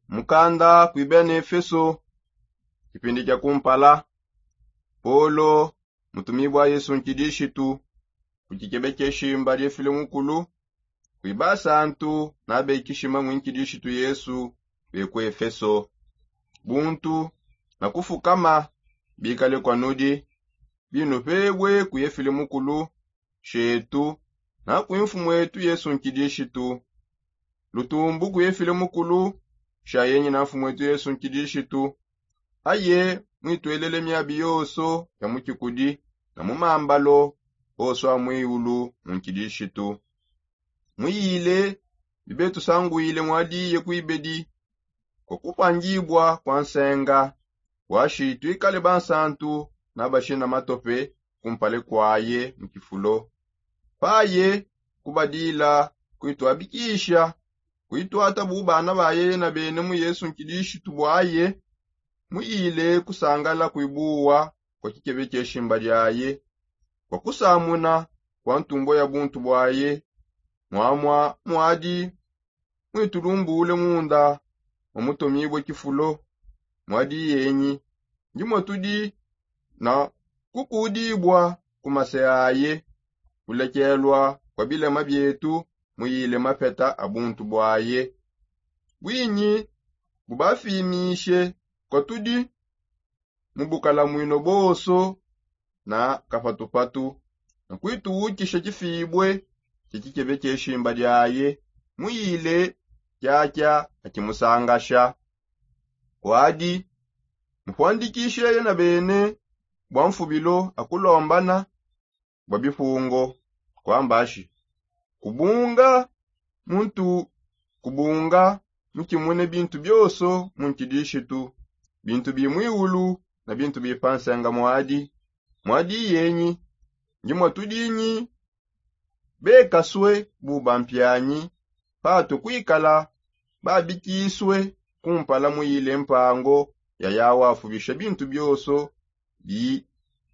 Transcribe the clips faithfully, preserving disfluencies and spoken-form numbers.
Mukanda kuibia na efeso. Kipindi kia kumpala, polo mutumibua yesu nkidishitu ku kikebe kia eshimba dia efile mukulu, kuiba asantu na bekishima mu nkidishitu yesu be ku efeso. Buntu na kufukama bikale kwa nudi, binupebue ku efile mukulu shetu na ku mfumu etu yesu nkidishitu. Lutumbu ku efile mukulu sha yenyi na mfumu etu yesu nkidishitu. Aye mwituelele miabi yonso ya mu kikudi na mu mambalo onso a mwiulu mu nkidishitu. Muyile bibetusanguile mwadiye kuibedi kwa kupangibua kwa nsenga, washi tuikale bansantu na bashina matope kumpale kwaye mu kifulo. Paye kubadila kuituabikisha kuituata bu bana baye yena bene mu yesu nkidishitu bwaye. Muyile kusangala kuibuwa kwa kikebe kia shimba diaye kwa kusamuna kwa ntumbo ya buntu bwaye. Mwamwa mwadi mwitulumbule munda mwa mutomibue kifulo. Mwadi yenyi ndi mwa tudi na kukudibua ku mase aye, kulekelua kwa bilema bietu muyile mapeta a buntu bwaye. Bwinyi bubafimishe kwa tudi mu bukalamwino bonso na kapatupatu na kuituwukisha kifibue kia kikebe kia eshimba diaye muyile kiakia akimusangasha. Kwadi mupuandikishe yena bene bwa mfubilo akulombana bwa bipungo kwambashi kubunga muntu kubunga mukimune bintu bionso mu nkidishitu, bintu bi mwiulu na bintu bi pa nsenga mwadi. Mwadi yenyi ndi mwa tudinyi bekasue bu bampianyi patue kuikala babikisue kumpala muyile mpango ya yawa afubisha bintu bionso bi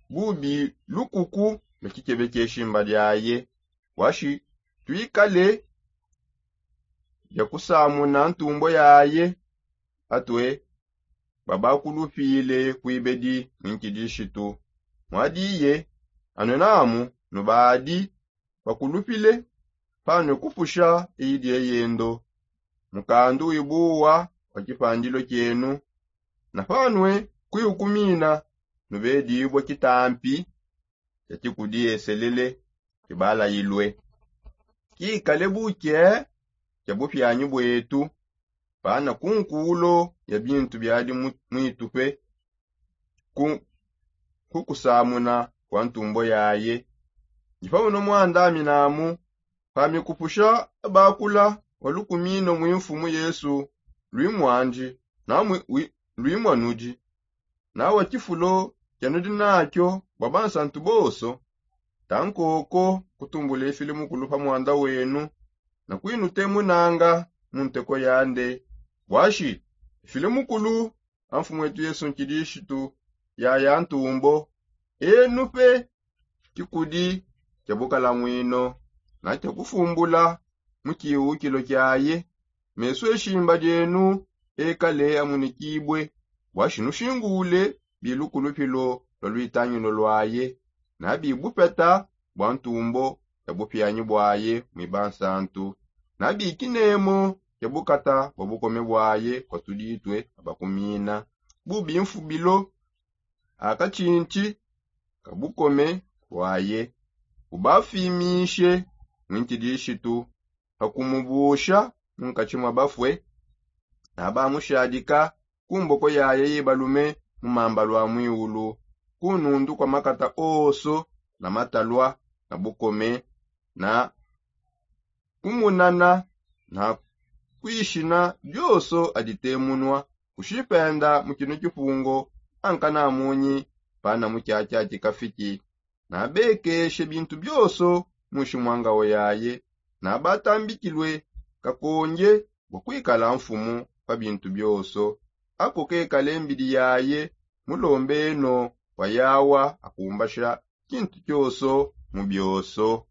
bubi lukuku lua kikebe kia eshimba diaye. Washi tuikale bia kusamuna ntumbo yaye atue babakulupile kuibedi mu nkidishitu. Mwadiye anue namu nubadi bakulupile panue kupusha eyi dieyendo mukandu wibuwa wa kipandilo kienu. Na panue kuiukumina nubedibua kitampi kia kikudi eselele kibalayilue kikale buke kia bupianyi buetu pana kunkulo ya bintu biadi muitupe ku kukusamuna kwa ntumbo yaye. Ndi pamuno muandaminamu pamikupusha abakula wa lukumino mu mfumu yesu luimwandi na luimwanudi na wa kifulo kianudi nakio bwa bansantu bonso. Tankoko kutumbula efile mukulu pa mwanda wenu na kuinutemunanga mu nteko yande. Bwashi efile mukulu a mfumu etu yesu nkidishitu yaya ntumbo enu pe kikudi kia bukalamwino na kia kufumbula mu kiwukilo kiaye. Mesu eshimba dienu ekale amunikibue bwashi nushingule bilukulupilo lua luitangilo luaye na bibupeta bwa ntumbo ya bupianyi buaye mwiba nsantu na bikinemo kia bukata bwa bukome buaye kwa tuditue abakumina bubi mfubilo akatshintshi ka bukome buaye bubafimishe mu nkidishitu pa kumubusha mu nkatshi mwa bafue na bamushadika ku mboko yaye ibalume mu mamba lua mwiulu ku nundu kua makata onso na matalua na bukome na kumunana na kuishina dionso aditemunua kushipenda mu kino kipungo ankanamunyi pana mu kiakia kikafiki na bekeshe bintu bionso mushi mwa ngao yaye na batambikilue kakonge bua kuikala mfumu pa bintu bionso. Ako kekale mbidi yaye mulombeno bua yawa akumbasha kintu kionso mu bionso.